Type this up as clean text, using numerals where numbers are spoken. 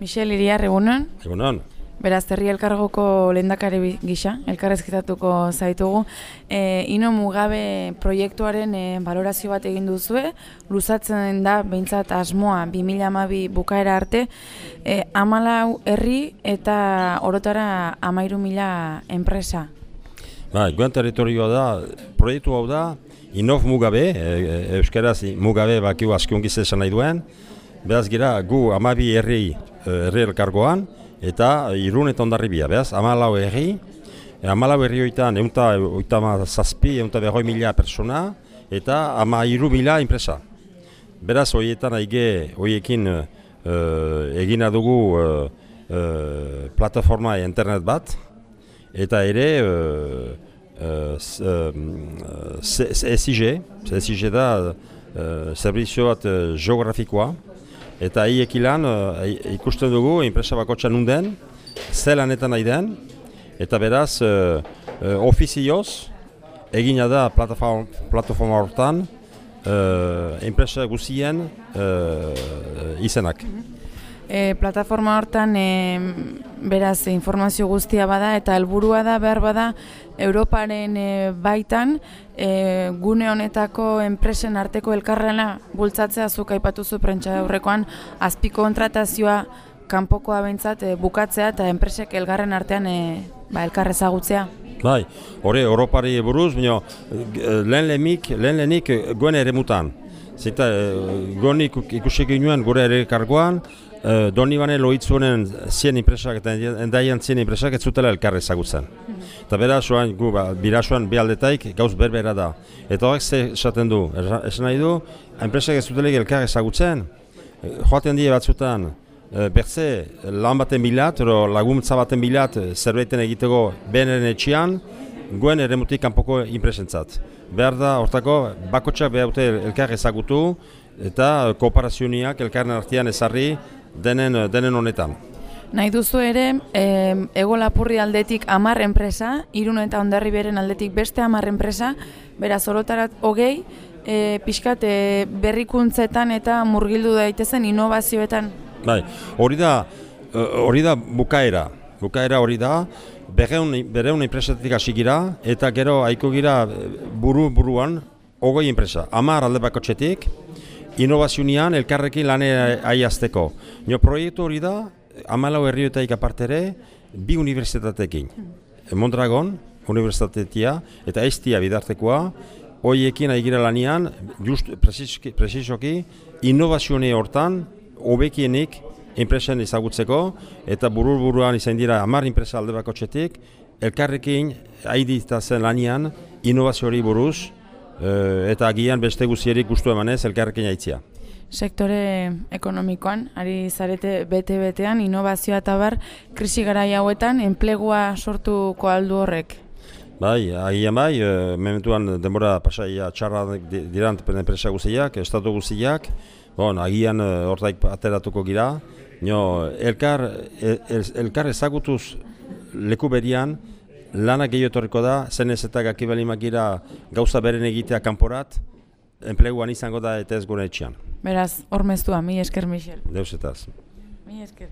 Michel Iriar, egunon. Egunon. Beraz, herri elkargoko lehendakari gisa, elkarrezketatuko zaitugu. Ino Mugabe proiektuaren balorazio bat egin duzue, luzatzen da behintzat asmoa 2012 bukaera arte, 14 herri eta orotara 13.000 enpresa. Guen territorioa da, proiektu hau da, Inov Mugabe, euskaraz Mugabe bakiu askiongiz esan nahi duen, beraz gira gu 12 herri elkargoan, eta Irun eta Hondarribia, beraz, 14 herri, 14 herri hoitan, 157.000 persona, eta 13.000 enpresa. Beraz, horietan horiekin egina dugu plataforma internet bat, eta ere SIG da zerbizio bat geografikoa, eta hiekilan ikusten dugu enpresa bakotxa nunden, zelanetan nahi den, eta beraz ofizioz egina da plataforma hortan enpresa guztien izenak. Plataforma hortan beraz informazio guztia bada eta helburua da behar bada Europaren baitan gune honetako enpresen arteko elkarlana bultzatzea, zuk aipatuzu prentsa aurrekoan azpikontratazioa kanpokoa behintzat bukatzea eta enpresek elgarren artean elkar ezagutzea. Bai, hori Europari buruz, lehenik goen ere mutan. Zita, goenik ikusik ginen gure ere kargoan, Donibane Loitzunen 100 enpresak eta endaian 100 enpresak ez zutela elkar ezagutzen. Eta beraz, birasuan behaldetaik gauz berbera da. Eta horrek ze esaten du, esan nahi du, enpresak ez zutela elkar ezagutzen, joaten die batzutan, bertze lan baten bilat, laguntza baten bilat zerbaiten egiteko beneren etxean, goen eremutik kanpoko enpresentzat. Behar da, hortako, bakotxak behar dute elkar ezagutu eta kooperazioniak elkarren artean ezarri denen honetan. Nahi duzu ere, Ego Lapurri aldetik 10 enpresa, Irun eta Hondarriberen aldetik beste 10 enpresa, beraz orotarat 20, pixkat berrikuntzetan eta murgildu daitezen innovazioetan. Bai, hori da bukaera. Bukaera hori da, berreun enpresatik hasi gira, eta gero haiko gira buruan 20 enpresa. 10 alde bakotxetik, innovazionian elkarrekin lane aiazteko. Proiektu hori da, 14 herrioetaik apartere, 2 unibertsitatekin. Mondragon, unibertsitatea, eta Estia bidartekoa, horiekin aigira lanean, just presizoki, innovazione hortan, hobekienik enpresen ezagutzeko, eta buruan izan dira 10 enpresa alde bakotxetik, elkarrekin aiditazen lanean, innovazioari buruz, eta agian beste guzierik gustu emanez elkarrekin aitzia. Sektore ekonomikoan, ari zarete bete-betean, innovazioa eta bar, krisi garai hauetan, enplegua sortuko aldu horrek? Bai, agian bai, mementuan denbora pasaia txarra dirant enpresa guztiak, estatu guztiak, agian hortaik ateratuko gira, elkar ezagutuz leku berian, lanak gehiotorriko da, zenez eta gakibalimak gira gauza beren egitea kanporat, enpleguan izango da eta ez gure etxean. Beraz, hormeztua, mi esker, Michel. Deus etaz. Mi esker.